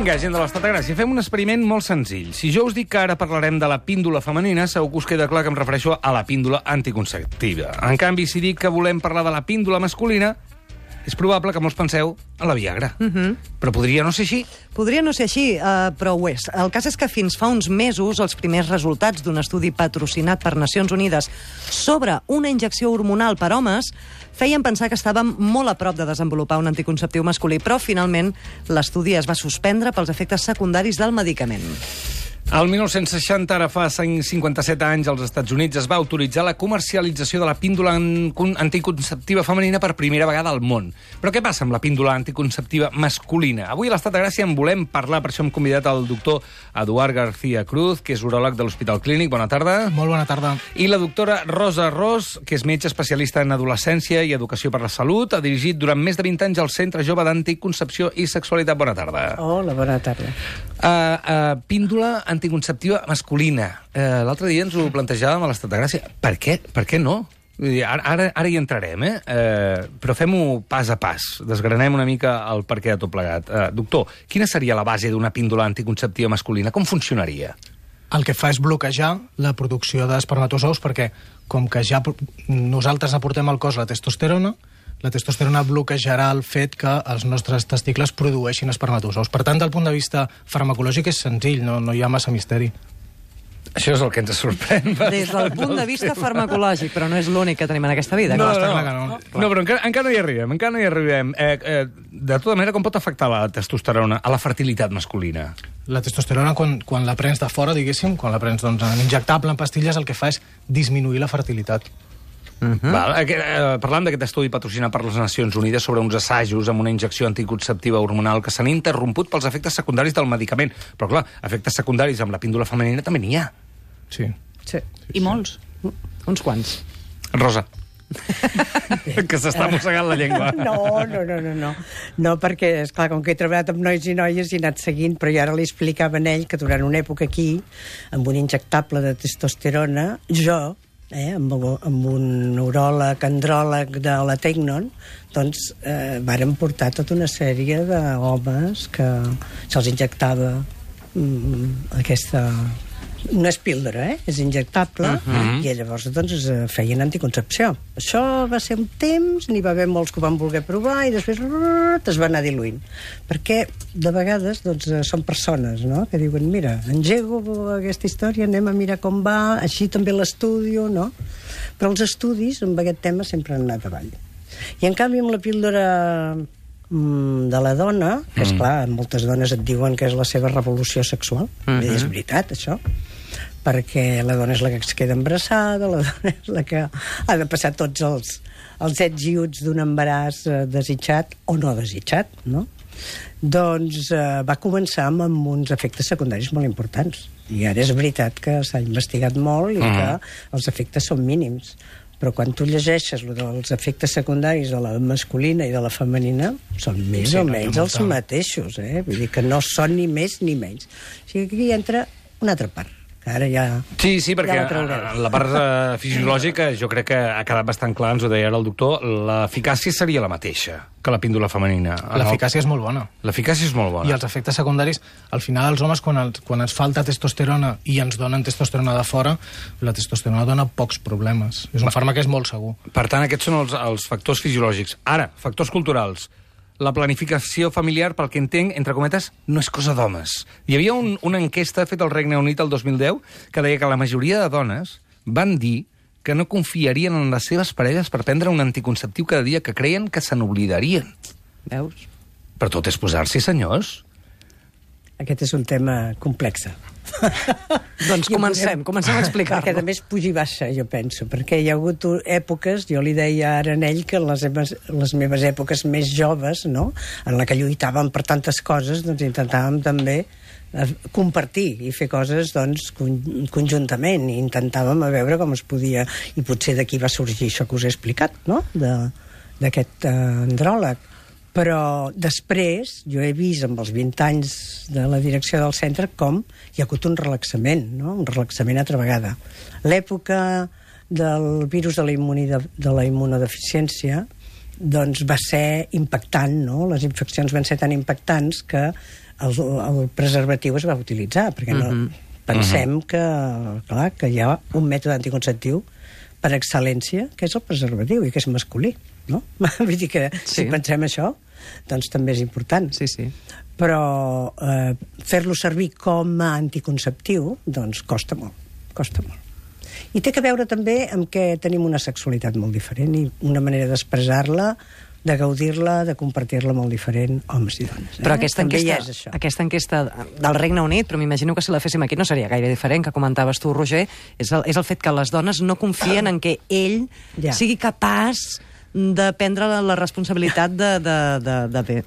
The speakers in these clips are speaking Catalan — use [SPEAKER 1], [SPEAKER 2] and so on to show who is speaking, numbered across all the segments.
[SPEAKER 1] Vinga, gent de l'Estat de Gràcia, fem un experiment molt senzill. Si jo us dic que ara parlarem de la píndola femenina, segur que us queda clar que em refereixo a la píndola anticonceptiva. En canvi, si dic que volem parlar de la píndola masculina, és probable que molts penseu en la Viagra. Però podria no ser així.
[SPEAKER 2] Podria no ser així, però ho és. El cas és que fins fa uns mesos els primers resultats d'un estudi patrocinat per Nacions Unides sobre una injecció hormonal per homes feien pensar que estàvem molt a prop de desenvolupar un anticonceptiu masculí, però finalment l'estudi es va suspendre pels efectes secundaris del medicament.
[SPEAKER 1] El 1960, ara fa 57 anys, als Estats Units es va autoritzar la comercialització de la píndola anticonceptiva femenina per primera vegada al món. Però què passa amb la píndola anticonceptiva masculina? Avui a l'Estat de Gràcia en volem parlar, per això hem convidat el doctor Eduard García Cruz, que és uròleg de l'Hospital Clínic. Bona tarda.
[SPEAKER 3] Molt bona tarda.
[SPEAKER 1] I la doctora Rosa Ros, que és metge especialista en adolescència i educació per la salut. Ha dirigit durant més de 20 anys el Centre Jove d'Anticoncepció i Sexualitat. Bona tarda.
[SPEAKER 4] Hola, bona tarda.
[SPEAKER 1] Píndola anticonceptiva masculina. L'altre dia ens ho plantejàvem a l'Estat de Gràcia. Per què no? Vull dir, ara hi entrarem, però fem-ho pas a pas. Desgranem una mica el perquè de tot plegat. Doctor, quina seria la base d'una píndola anticonceptiva masculina? Com funcionaria?
[SPEAKER 3] El que fa és bloquejar la producció d'espermatozous perquè, com que ja nosaltres aportem al cos la testosterona bloquejarà el fet que els nostres testicles produeixin espermatozous. Per tant, del punt de vista farmacològic és senzill, no hi ha massa misteri.
[SPEAKER 1] Això és el que ens sorprèn.
[SPEAKER 2] Des del punt de vista farmacològic, però no és l'únic que tenim en aquesta vida.
[SPEAKER 1] No, però encara no hi arribem. De tota manera, com pot afectar la testosterona a la fertilitat masculina?
[SPEAKER 3] La testosterona, quan la prens de fora, diguéssim, quan la prens en injectable, en pastilles, el que fa és disminuir la fertilitat.
[SPEAKER 1] Parlant d'aquest estudi patrocinat per les Nacions Unides sobre uns assajos amb una injecció anticonceptiva hormonal que s'han interromput pels efectes secundaris del medicament. Però, clar, efectes secundaris amb la píndola femenina també n'hi ha.
[SPEAKER 3] Sí.
[SPEAKER 4] I molts.
[SPEAKER 2] Uns quants.
[SPEAKER 1] Rosa. Que s'està mossegant la llengua.
[SPEAKER 4] No, perquè, esclar, com que he treballat amb nois i noies i he anat seguint, però jo ara li explicava a ell que durant una època aquí, amb un injectable de testosterona, jo, amb un uròleg, andròleg de la Tecnon, doncs vàrem portar tota una sèrie d'homes que se'ls injectava aquesta... No és píldora, és injectable, i llavors doncs feien anticoncepció. Això va ser un temps, n'hi va haver molts que ho van voler provar i després es va anar diluint. Perquè de vegades doncs, són persones, no?, que diuen, mira, engego aquesta història, anem a mirar com va, així també l'estudio, no? Però els estudis amb aquest tema sempre han anat avall. I en canvi amb la píldora de la dona, que esclar, moltes dones et diuen que és la seva revolució sexual, i és veritat això, perquè la dona és la que es queda embarassada, la dona és la que ha de passar tots els ets i uts d'un embaràs desitjat o no desitjat, no? Doncs va començar amb uns efectes secundaris molt importants. I ara és veritat que s'ha investigat molt i que els efectes són mínims. Però quan tu llegeixes dels efectes secundaris de la masculina i de la femenina, són més o menys els mateixos, Vull dir que no són ni més ni menys. O sigui que aquí entra una altra part. Ara ja...
[SPEAKER 1] Sí, perquè la part fisiològica jo crec que ha quedat bastant clar, ens ho deia ara el doctor, l'eficàcia seria la mateixa que la píndola femenina.
[SPEAKER 3] L'eficàcia és molt bona.
[SPEAKER 1] L'eficàcia és molt bona.
[SPEAKER 3] I els efectes secundaris, al final els homes, quan ens falta testosterona i ens donen testosterona de fora, la testosterona dona pocs problemes. És un fàrmac que és molt segur.
[SPEAKER 1] Per tant, aquests són els factors fisiològics. Ara, factors culturals. La planificació familiar, pel que entenc, entre cometes, no és cosa d'homes. Hi havia una enquesta feta al Regne Unit el 2010 que deia que la majoria de dones van dir que no confiarien en les seves parelles per prendre un anticonceptiu cada dia, que creien que se n'oblidarien.
[SPEAKER 2] Veus?
[SPEAKER 1] Però tot és posar-s'hi, senyors.
[SPEAKER 4] Aquest és un tema complex.
[SPEAKER 2] Doncs comencem a explicar-lo.
[SPEAKER 4] Perquè a més puja i baixa, jo penso, perquè hi ha hagut èpoques, jo li deia ara a ell que les meves èpoques més joves, no?, en la que lluitàvem per tantes coses, doncs intentàvem també compartir i fer coses doncs conjuntament, i intentàvem a veure com es podia, i potser d'aquí va sorgir això que us he explicat, no?, d'aquest andròleg. Però després jo he vist amb els 20 anys de la direcció del centre com hi ha hagut un relaxament, no?, un relaxament altra vegada. L'època del virus de la immunodeficiència doncs va ser impactant, no? Les infeccions van ser tan impactants que el preservatiu es va utilitzar, perquè no pensem que, clar, que hi ha un mètode anticonceptiu per excel·lència, que és el preservatiu, i que és masculí, no? Vull dir que si pensem això, doncs també és important.
[SPEAKER 2] Sí.
[SPEAKER 4] Però fer-lo servir com a anticonceptiu, doncs costa molt. I té que veure també amb que tenim una sexualitat molt diferent i una manera d'expressar-la, de gaudir-la, de compartir-la molt diferent, homes i dones.
[SPEAKER 2] Però aquesta enquesta del Regne Unit, però m'imagino que si la féssim aquí no seria gaire diferent, que comentaves tu, Roger, és el fet que les dones no confien en que ell sigui capaç de prendre la responsabilitat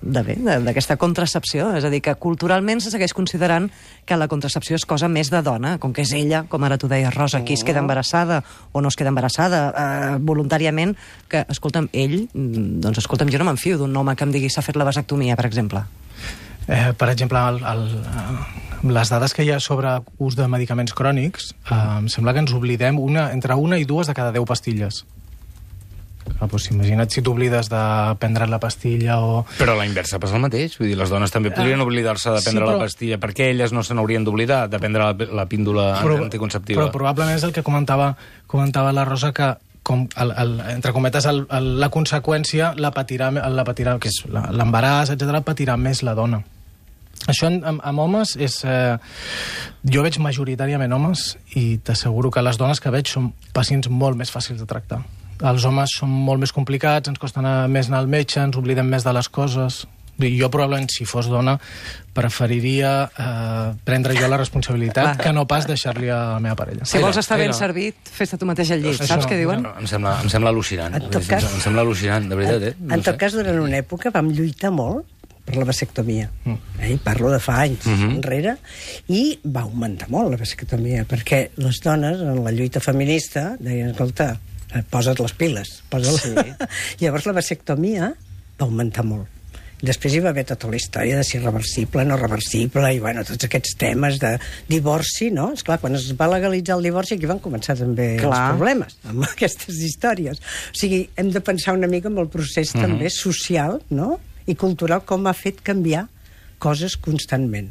[SPEAKER 2] d'aquesta contracepció. És a dir, que culturalment se segueix considerant que la contracepció és cosa més de dona, com que és ella, com ara tu deies, Rosa, qui es queda embarassada o no es queda embarassada voluntàriament, que, escolta'm, jo no m'enfio d'un home que em digui s'ha fet la vasectomia, per exemple.
[SPEAKER 3] Per exemple, les dades que hi ha sobre ús de medicaments crònics, em sembla que ens oblidem entre una i dues de cada 10 pastilles. Doncs imagina't si t'oblides de prendre la pastilla o...
[SPEAKER 1] Però a la inversa passa el mateix. Vull dir, les dones també podrien oblidar-se de prendre la pastilla, perquè elles no se n'haurien d'oblidar de prendre la píndola anticonceptiva.
[SPEAKER 3] Però probablement és el que comentava la Rosa, que entre cometes, la conseqüència la patirà, que és l'embaràs, etc., patirà més la dona. Això amb homes és... Jo veig majoritàriament homes i t'asseguro que les dones que veig són pacients molt més fàcils de tractar. Els homes són molt més complicats, ens costa més anar al metge, ens oblidem més de les coses. Jo probablement, si fos dona, preferiria prendre jo la responsabilitat que no pas deixar-li a la meva parella.
[SPEAKER 2] Si vols estar ben servit, fes-te tu mateix al llit. Saps què diuen?
[SPEAKER 1] Em sembla al·lucinant. Em sembla al·lucinant, de veritat.
[SPEAKER 4] En tot cas, durant una època vam lluitar molt per la vasectomia. Parlo de fa anys enrere, i va augmentar molt la vasectomia, perquè les dones, en la lluita feminista, deien, escolta, posa't les piles. Llavors la vasectomia va augmentar molt. Després hi va haver tota la història de si reversible, no reversible, i bueno, tots aquests temes de divorci, no? Esclar, quan es va legalitzar el divorci, aquí van començar també els problemes amb aquestes històries. O sigui, hem de pensar una mica en el procés també social, no?, i cultural, com ha fet canviar coses constantment.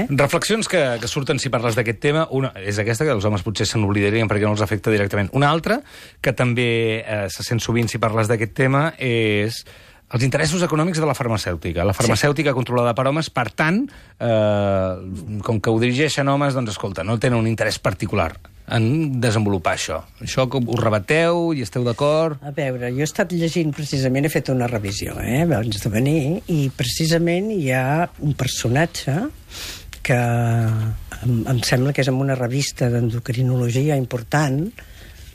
[SPEAKER 1] Reflexions que surten si parles d'aquest tema. Una és aquesta, que els homes potser se n'oblidarien perquè no els afecta directament. Una altra, que també se sent sovint si parles d'aquest tema, és els interessos econòmics de la farmacèutica. La farmacèutica controlada per homes, per tant, com que ho dirigeixen homes, doncs, escolta, no tenen un interès particular en desenvolupar això. Això ho rebateu i esteu d'acord?
[SPEAKER 4] A veure, jo he estat llegint precisament, he fet una revisió, abans de venir, i precisament hi ha un personatge que em sembla que és en una revista d'endocrinologia important,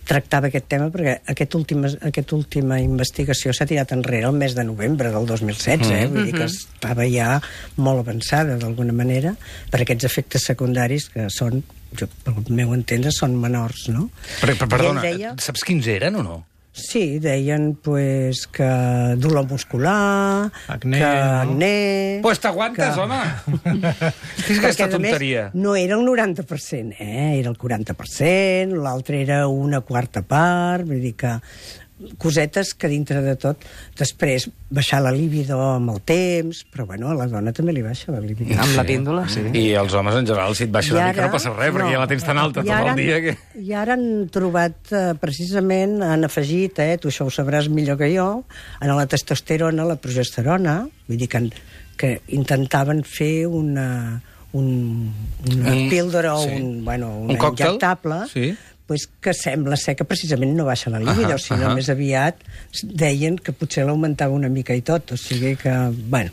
[SPEAKER 4] tractava aquest tema, perquè aquesta última investigació s'ha tirat enrere el mes de novembre del 2016, vull dir que estava ja molt avançada d'alguna manera per aquests efectes secundaris que són, pel meu entendre, són menors, no?
[SPEAKER 1] Perdona, saps quins eren o no?
[SPEAKER 4] Sí, deien pues, que dolor muscular, acné...
[SPEAKER 1] Pues t'aguantes, home! És aquesta tonteria.
[SPEAKER 4] No era el 90%, era el 40%, l'altre era una quarta part, vull dir que cosetes que dintre de tot després baixar la libido amb el temps, però bueno, a la dona també li baixa la libido.
[SPEAKER 2] Amb la píndola, sí.
[SPEAKER 1] I als homes en general, si et baixa una mica no passa res, perquè ja la tens tan alta tot el dia que...
[SPEAKER 4] I ara han trobat, precisament, han afegit, tu això ho sabràs millor que jo, en la testosterona, la progesterona, vull dir que intentaven fer una píldora o un injectable, pues que sembla ser que precisament no baixa la libido, sinó més aviat deien que potser l'augmentava una mica i tot, o sigui que, bueno...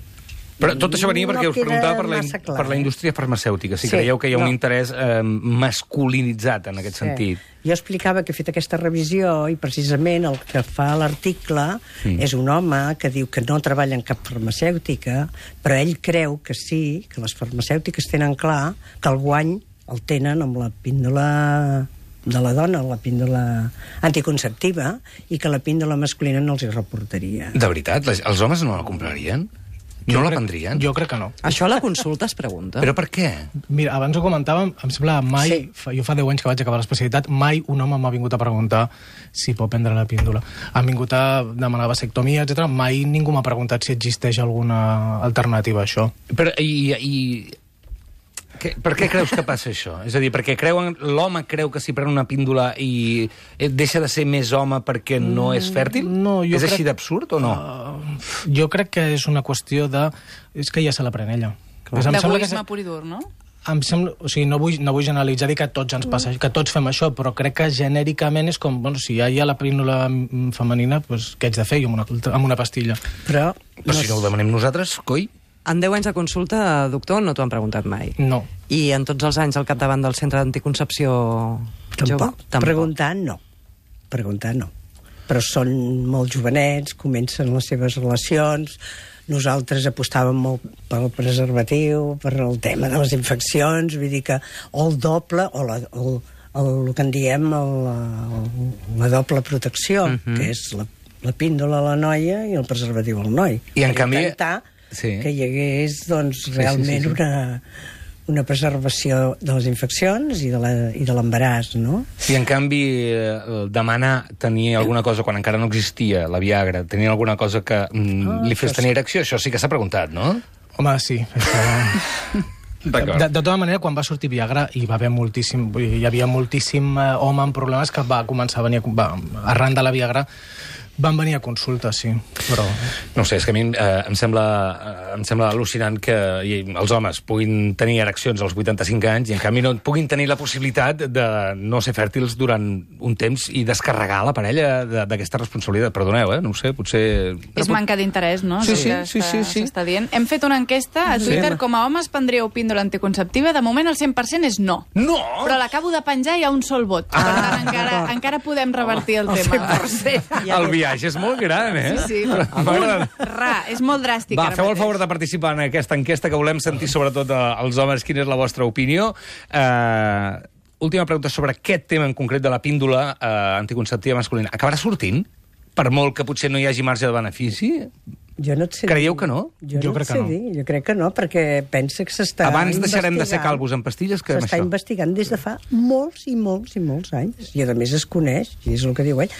[SPEAKER 1] Però tot això venia perquè us preguntava per la indústria farmacèutica, si creieu que hi ha un interès masculinitzat en aquest sentit.
[SPEAKER 4] Jo explicava que he fet aquesta revisió i precisament el que fa l'article és un home que diu que no treballa en cap farmacèutica, però ell creu que sí, que les farmacèutiques tenen clar que el guany el tenen amb la píndola de la dona, la píndola anticonceptiva, i que la píndola masculina no els hi reportaria.
[SPEAKER 1] De veritat? Els homes no la comprarien? No la prendrien?
[SPEAKER 3] Jo crec que no.
[SPEAKER 2] Això a la consulta es pregunta.
[SPEAKER 1] Però per què?
[SPEAKER 3] Mira, abans ho comentàvem, em sembla mai, jo fa 10 anys que vaig acabar l'especialitat, mai un home m'ha vingut a preguntar si pot prendre la píndola. Han vingut a demanar vasectomia, etc. Mai ningú m'ha preguntat si existeix alguna alternativa a això.
[SPEAKER 1] Però, per què creus que passa això? És a dir, perquè l'home creu que si pren una píndola i deixa de ser més home perquè no és fèrtil?
[SPEAKER 3] No, jo
[SPEAKER 1] és
[SPEAKER 3] crec...
[SPEAKER 1] així d'absurd o no?
[SPEAKER 3] Jo crec que és una qüestió de... És que ja se la pren ella.
[SPEAKER 5] D'egoisme pur i dur, no?
[SPEAKER 3] Em sembla, o sigui, no vull generalitzar, dir que a tots ens passa, que tots fem això, però crec que genèricament és com, bueno, si ja hi ha la píndola femenina, doncs què haig de fer jo amb una pastilla?
[SPEAKER 4] Però
[SPEAKER 1] si no ho demanem nosaltres, coi?
[SPEAKER 2] En 10 anys de consulta, doctor, no t'ho han preguntat mai.
[SPEAKER 3] No.
[SPEAKER 2] I en tots els anys al capdavant del centre d'anticoncepció jove?
[SPEAKER 4] Tampoc. Preguntar no. Però són molt jovenets, comencen les seves relacions. Nosaltres apostàvem molt pel preservatiu, per el tema de les infeccions, vull dir que o el doble, o el que en diem la doble protecció, que és la píndola a la noia i el preservatiu al noi.
[SPEAKER 1] I en canvi...
[SPEAKER 4] que hi hagués doncs, realment una preservació de les infeccions i de l'embaràs, no?
[SPEAKER 1] I en canvi demanar tenir alguna cosa quan encara no existia la Viagra, tenir alguna cosa que li fes tenir erecció, això sí que s'ha preguntat, no?
[SPEAKER 3] Home, sí. De tota manera, quan va sortir Viagra hi havia moltíssim home amb problemes que va començar a venir arran de la Viagra van venir a consulta, sí, però...
[SPEAKER 1] No sé, és que a mi em sembla al·lucinant que els homes puguin tenir ereccions als 85 anys i en canvi no puguin tenir la possibilitat de no ser fèrtils durant un temps i descarregar la parella d'aquesta responsabilitat. Perdoneu, no ho sé, potser...
[SPEAKER 5] És manca d'interès, no?
[SPEAKER 1] Sí.
[SPEAKER 5] S'està dient. Hem fet una enquesta a Twitter, com a homes prendríeu píndola anticonceptiva, de moment el 100% és no.
[SPEAKER 1] No!
[SPEAKER 5] Però l'acabo de penjar i hi ha un sol vot. Per tant, encara podem revertir el tema.
[SPEAKER 1] El viatge és molt gran,
[SPEAKER 5] Sí. És molt dràstic.
[SPEAKER 1] Va, feu el favor de participar en aquesta enquesta que volem sentir sobretot als homes quina és la vostra opinió. Última pregunta sobre aquest tema en concret de la píndola anticonceptiva masculina. Acabarà sortint? Per molt que potser no hi hagi marge de benefici?
[SPEAKER 4] Jo no et sé
[SPEAKER 1] Creieu que no?
[SPEAKER 4] Jo crec que no. Jo crec que no, perquè pensa que s'està
[SPEAKER 1] Abans deixarem de ser calvos en pastilles que amb això.
[SPEAKER 4] S'està investigant des de fa molts i molts i molts anys. I a més es coneix, i és el que diu ell.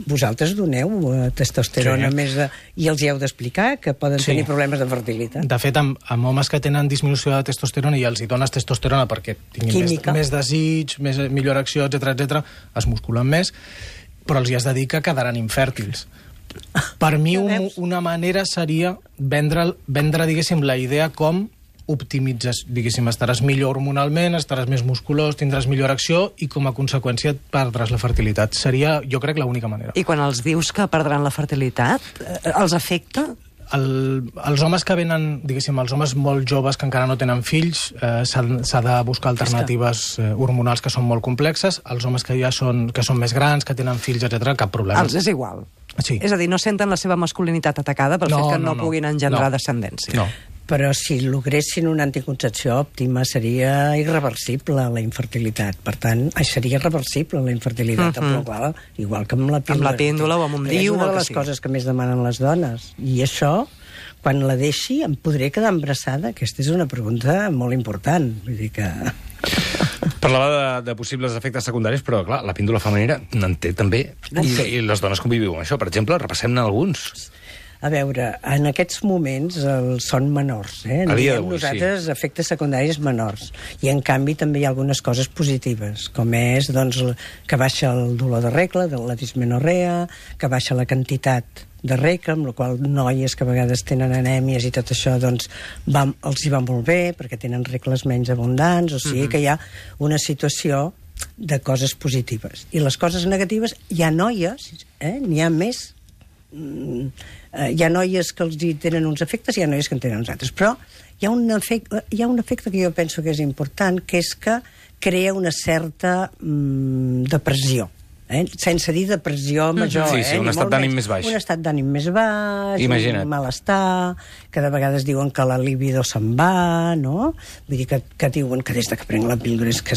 [SPEAKER 4] Vosaltres doneu testosterona i els hi heu d'explicar que poden tenir problemes de fertilitat.
[SPEAKER 3] De fet, amb homes que tenen disminució de testosterona i els hi dones testosterona perquè tinguin més desig, millor erecció, etc, es musculen més, però els hi has de dir que quedaran infèrtils. Per mi una manera seria vendre diguéssim, la idea com optimitzes, diguéssim, estaràs millor hormonalment, estaràs més musculós, tindràs millor acció i com a conseqüència perdràs la fertilitat. Seria, jo crec, l'única manera.
[SPEAKER 2] I quan els dius que perdran la fertilitat, els afecta?
[SPEAKER 3] Els homes que venen, diguéssim, els homes molt joves que encara no tenen fills, s'ha de buscar alternatives hormonals que són molt complexes. Els homes que ja són més grans, que tenen fills, etc, cap problema.
[SPEAKER 2] Els és igual.
[SPEAKER 3] Sí.
[SPEAKER 2] És a dir, no senten la seva masculinitat atacada pel fet que no puguin engendrar descendència.
[SPEAKER 3] No.
[SPEAKER 4] Però si logressin una anticoncepció òptima seria irreversible la infertilitat. Per tant, seria irreversible la infertilitat, igual que amb la píndola.
[SPEAKER 2] Amb la píndola o amb un DIU.
[SPEAKER 4] És una de les coses que més demanen les dones. I això, quan la deixi, em podré quedar embarassada? Aquesta és una pregunta molt important. Vull dir que...
[SPEAKER 1] Parlava de possibles efectes secundaris, però, clar, la píndola femenina n'en té també. I les dones conviviu amb això. Per exemple, repassem-ne alguns.
[SPEAKER 4] A veure, en aquests moments són menors.
[SPEAKER 1] A dia d'avui,
[SPEAKER 4] nosaltres, efectes secundaris menors. I, en canvi, també hi ha algunes coses positives, com és doncs, que baixa el dolor de regla, de la dismenorrea, que baixa la quantitat de regla, amb la qual noies que a vegades tenen anèmies i tot això doncs, els hi va molt bé, perquè tenen regles menys abundants, o sigui que hi ha una situació de coses positives. I les coses negatives, hi ha noies, n'hi ha més, hi ha noies que els tenen uns efectes i hi ha noies que en tenen uns altres, però hi ha un efecte que jo penso que és important, que és que crea una certa depressió. Sense dir depressió major.
[SPEAKER 1] Sí, un estat d'ànim més baix.
[SPEAKER 4] Un estat d'ànim més baix,
[SPEAKER 1] imagina't.
[SPEAKER 4] un malestar, que de vegades diuen que la libido se'n va, no? Vull dir que diuen que des que prenc la píldora és que...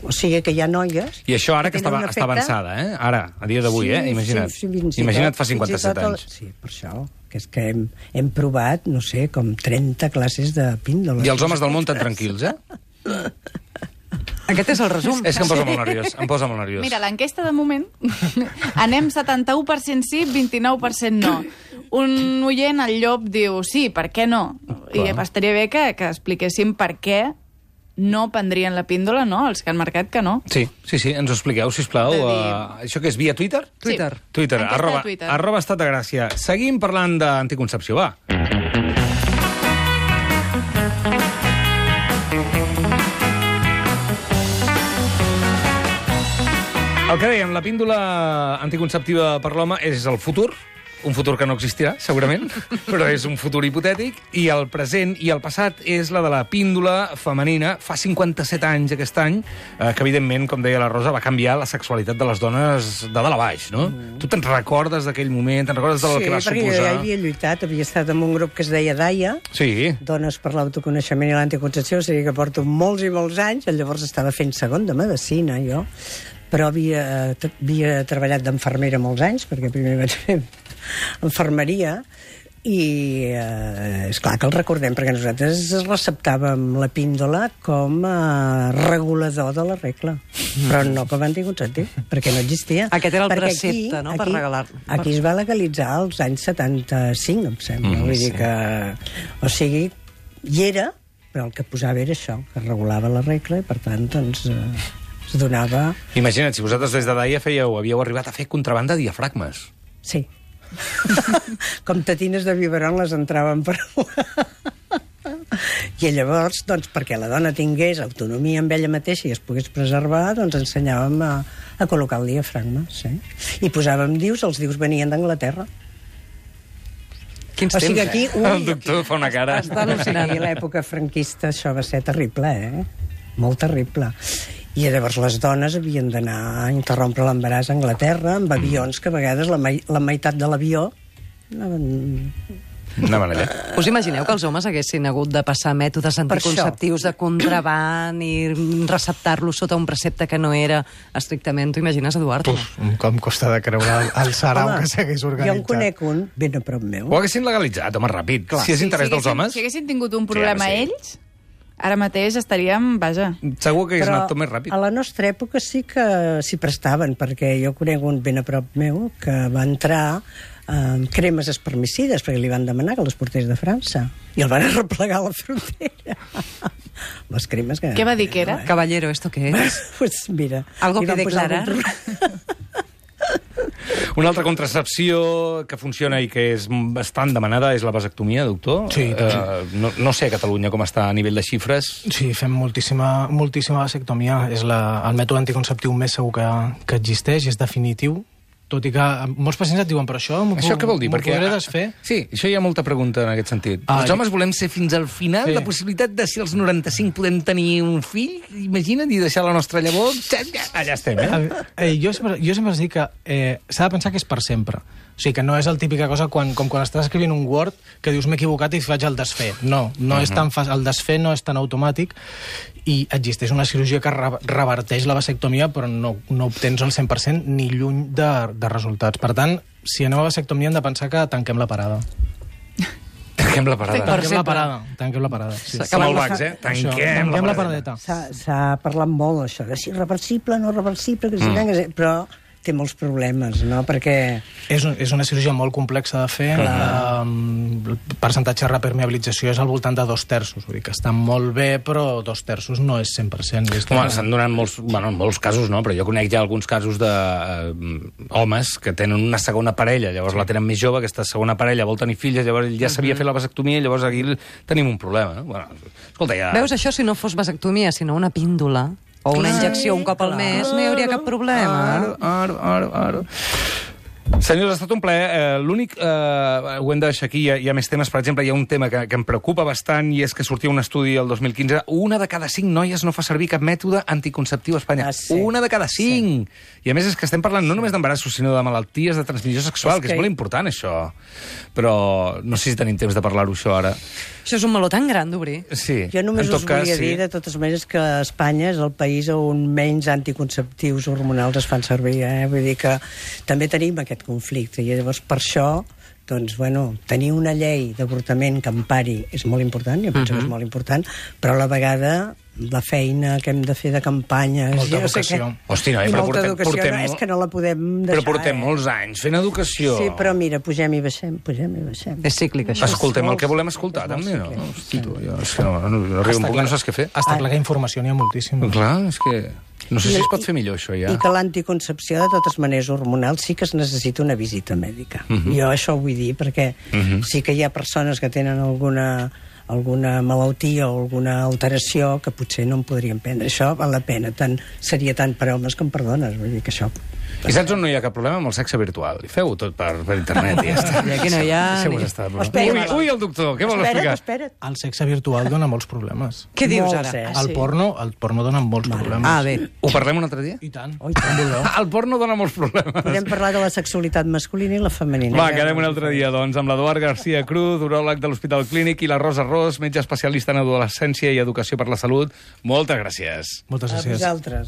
[SPEAKER 4] O sigui que hi ha noies...
[SPEAKER 1] I això ara que està avançada, Ara, a dia d'avui, imagina't. Imagina't fa 57 anys.
[SPEAKER 4] Sí, per això. perquè és que hem provat, no sé, com 30 classes de píndoles.
[SPEAKER 1] I els homes del món tan tranquils,
[SPEAKER 2] Aquest és el resum.
[SPEAKER 1] És que em posa molt nerviós,
[SPEAKER 5] Mira, l'enquesta de moment anem 71% sí, 29% no. Un oient, el Llop, diu sí, per què no? I estaria bé que expliquéssim per què no prendrien la píndola, no? Els que han marcat que no.
[SPEAKER 1] Sí, ens ho expliqueu, sisplau. Això que és via Twitter?
[SPEAKER 2] Twitter.
[SPEAKER 1] Twitter,
[SPEAKER 5] Enquesta de Twitter.
[SPEAKER 1] @ Estat de Gràcia. Seguim parlant d'anticoncepció, va. El que dèiem, la píndola anticonceptiva per l'home és el futur, un futur que no existirà, segurament, però és un futur hipotètic, i el present i el passat és la de la píndola femenina. Fa 57 anys aquest any, que evidentment, com deia la Rosa, va canviar la sexualitat de les dones de dalt a baix, no? Tu te'n recordes d'aquell moment, te'n recordes del que va suposar?
[SPEAKER 4] Sí, perquè jo ja havia lluitat, havia estat en un grup que es deia DAIA, Dones per l'Autoconeixement i l'Anticoncepció, o sigui que porto molts i molts anys, llavors estava fent segon de medicina, jo, però havia treballat d'infermera molts anys, perquè primer vaig fer infermeria, i és clar que el recordem, perquè nosaltres receptàvem la píndola com a regulador de la regla, però no com a anticonceptiu, perquè no existia.
[SPEAKER 2] Aquest era el precepte, no?, per regalar-lo.
[SPEAKER 4] Aquí es va legalitzar als anys 75, em sembla. Vull dir que... O sigui, hi era, però el que posava era això, que regulava la regla, i per tant, doncs... es donava...
[SPEAKER 1] Imagina't, si vosaltres des de DAIA havíeu arribat a fer contrabanda de diafragmes.
[SPEAKER 4] Sí. Com tatines de biberon les entraven per... I llavors, doncs, perquè la dona tingués autonomia amb ella mateixa i es pogués preservar, doncs ensenyàvem a col·locar el diafragma, sí. I posàvem dius, els dius venien d'Anglaterra.
[SPEAKER 2] Quins
[SPEAKER 4] o sigui,
[SPEAKER 2] temps,
[SPEAKER 4] aquí,
[SPEAKER 1] El doctor fa una cara.
[SPEAKER 2] Està al·lucinant.
[SPEAKER 4] A l'època franquista això va ser terrible, molt terrible. I llavors les dones havien d'anar a interrompre l'embaràs a Anglaterra amb avions que a vegades la meitat de l'avió
[SPEAKER 1] anaven allà.
[SPEAKER 2] Us imagineu que els homes haguessin hagut de passar mètodes anticonceptius de contraban i receptar-los sota un precepte que no era estrictament... T'ho imagines, Eduard?
[SPEAKER 3] Com costa de creure el sarau que s'hagués organitzat.
[SPEAKER 4] Jo en conec un ben a prop meu.
[SPEAKER 1] Ho haguessin legalitzat, home, ràpid. Clar. Si és interès dels homes...
[SPEAKER 5] Si haguessin tingut un problema ells... Ara mateix estaríem, vaja...
[SPEAKER 1] Segur que hagués anat tot més ràpid.
[SPEAKER 4] A la nostra època sí que s'hi prestaven, perquè jo conec un ben a prop meu que va entrar amb cremes espermicides, perquè li van demanar que les portés de França. I el van arreplegar a la frontera. Les cremes que...
[SPEAKER 5] Què va dir que era?
[SPEAKER 2] Caballero, ¿esto qué es?
[SPEAKER 4] Pues mira...
[SPEAKER 2] ¿Algo que declarar?
[SPEAKER 1] Una altra contracepció que funciona i que és bastant demanada és la vasectomia, doctor.
[SPEAKER 3] Sí.
[SPEAKER 1] No sé a Catalunya com està a nivell de xifres.
[SPEAKER 3] Sí, fem moltíssima vasectomia. És el mètode anticonceptiu més segur que existeix i és definitiu. Tot i que molts pacients et diuen, però això
[SPEAKER 1] què vol dir?
[SPEAKER 3] M'ho podré desfer?
[SPEAKER 1] Sí, això hi ha molta pregunta en aquest sentit. Els homes volem ser fins al final, la possibilitat de si als 95 podem tenir un fill, imagina't, i deixar la nostra llavor, allà estem,
[SPEAKER 3] Jo sempre us dic que s'ha de pensar que és per sempre. O sigui, que no és el típica cosa com quan estàs escrivint un Word que dius m'he equivocat i faig el desfer. No és tan fàcil, el desfer no és tan automàtic i existeix una cirurgia que reverteix la vasectomia però no obtens el 100% ni lluny de resultats. Per tant, si anem a vasectomia hem de pensar que tanquem la parada.
[SPEAKER 1] Tanquem la parada.
[SPEAKER 3] Tanquem la parada. Sí.
[SPEAKER 1] Som al Bax, Tanquem la paradeta.
[SPEAKER 4] S'ha parlat molt, això, de si reversible, no reversible, que si però té molts problemes, no? Perquè...
[SPEAKER 3] És una cirurgia molt complexa de fer. El percentatge de repermeabilització és al voltant de 2/3. Vull dir que està molt bé, però 2/3 no és 100%.
[SPEAKER 1] Home, s'han donat molts casos, no? Però jo conec ja alguns casos de homes que tenen una segona parella, llavors la tenen més jove, aquesta segona parella vol tenir filles, llavors ja s'havia fet la vasectomia, llavors aquí tenim un problema, no? Bueno, escolta, ja...
[SPEAKER 2] Veus, això si no fos vasectomia, sinó una píndola o una injecció un cop al mes, no hi hauria cap problema.
[SPEAKER 1] Ara. Senyors, ha estat un plaer. L'únic, ho hem de deixar aquí, hi ha més temes. Per exemple, hi ha un tema que em preocupa bastant i és que sortia un estudi el 2015. 1 de cada 5 noies no fa servir cap mètode anticonceptiu a Espanya. 1 de cada 5! Sí. I a més és que estem parlant no només d'embarassos, sinó de malalties de transmissió sexual, que és molt important, això. Però no sé si tenim temps de parlar-ho, això, ara.
[SPEAKER 2] Això és un meló tan gran d'obrir.
[SPEAKER 1] Sí.
[SPEAKER 4] Jo només us volia dir, de totes maneres, que Espanya és el país on menys anticonceptius hormonals es fan servir. Vull dir que també tenim aquest conflicte i llavors per això doncs, bueno, tenir una llei d'avortament que empari és molt important, jo penso que és molt important, però a la vegada la feina que hem de fer de campanya...
[SPEAKER 3] Molta educació.
[SPEAKER 1] Hosti, noi,
[SPEAKER 4] I
[SPEAKER 1] però
[SPEAKER 4] molta educació,
[SPEAKER 1] portem...
[SPEAKER 4] és que no la podem deixar.
[SPEAKER 1] Però portem molts anys fent educació.
[SPEAKER 4] Sí, però mira, pugem i baixem.
[SPEAKER 2] És cíclic, això.
[SPEAKER 1] Escoltem el que volem escoltar, també, no? Hosti, tu, jo, és que no arriba un punt que no saps què fer.
[SPEAKER 3] Està clar que informació n'hi ha moltíssima.
[SPEAKER 1] Clar, és que... No sé si es pot fer millor, això, ja.
[SPEAKER 4] I que l'anticoncepció, de totes maneres, hormonal, sí que es necessita una visita mèdica. Jo això ho vull dir, perquè sí que hi ha persones que tenen alguna malaltia o alguna alteració que potser no en podrien prendre. Això val la pena. Seria tant per homes com per dones. Vull dir que això...
[SPEAKER 1] I saps on no hi ha cap problema? Amb el sexe virtual. I feu-ho tot per internet i ja està.
[SPEAKER 2] I aquí no hi ha...
[SPEAKER 1] Deixeu-vos estar.
[SPEAKER 4] Espera.
[SPEAKER 1] Ui, el doctor, què vol explicar?
[SPEAKER 4] Espera't.
[SPEAKER 3] El sexe virtual dona molts problemes.
[SPEAKER 2] Què dius
[SPEAKER 4] Molts,
[SPEAKER 2] ara?
[SPEAKER 3] El porno dona molts problemes.
[SPEAKER 2] Ah, bé.
[SPEAKER 1] Ho parlem un altre dia?
[SPEAKER 3] I tant.
[SPEAKER 4] Oh, i tant.
[SPEAKER 1] El porno dona molts problemes.
[SPEAKER 4] Podem parlar de la sexualitat masculina i la femenina.
[SPEAKER 1] Va, quedem un altre dia, doncs, amb l'Eduard García Cruz, uròleg de l'Hospital Clínic, i la Rosa Ros, metge especialista en adolescència i educació per la salut. Moltes gràcies.
[SPEAKER 3] Moltes
[SPEAKER 4] A
[SPEAKER 3] gràcies.
[SPEAKER 4] vosaltres.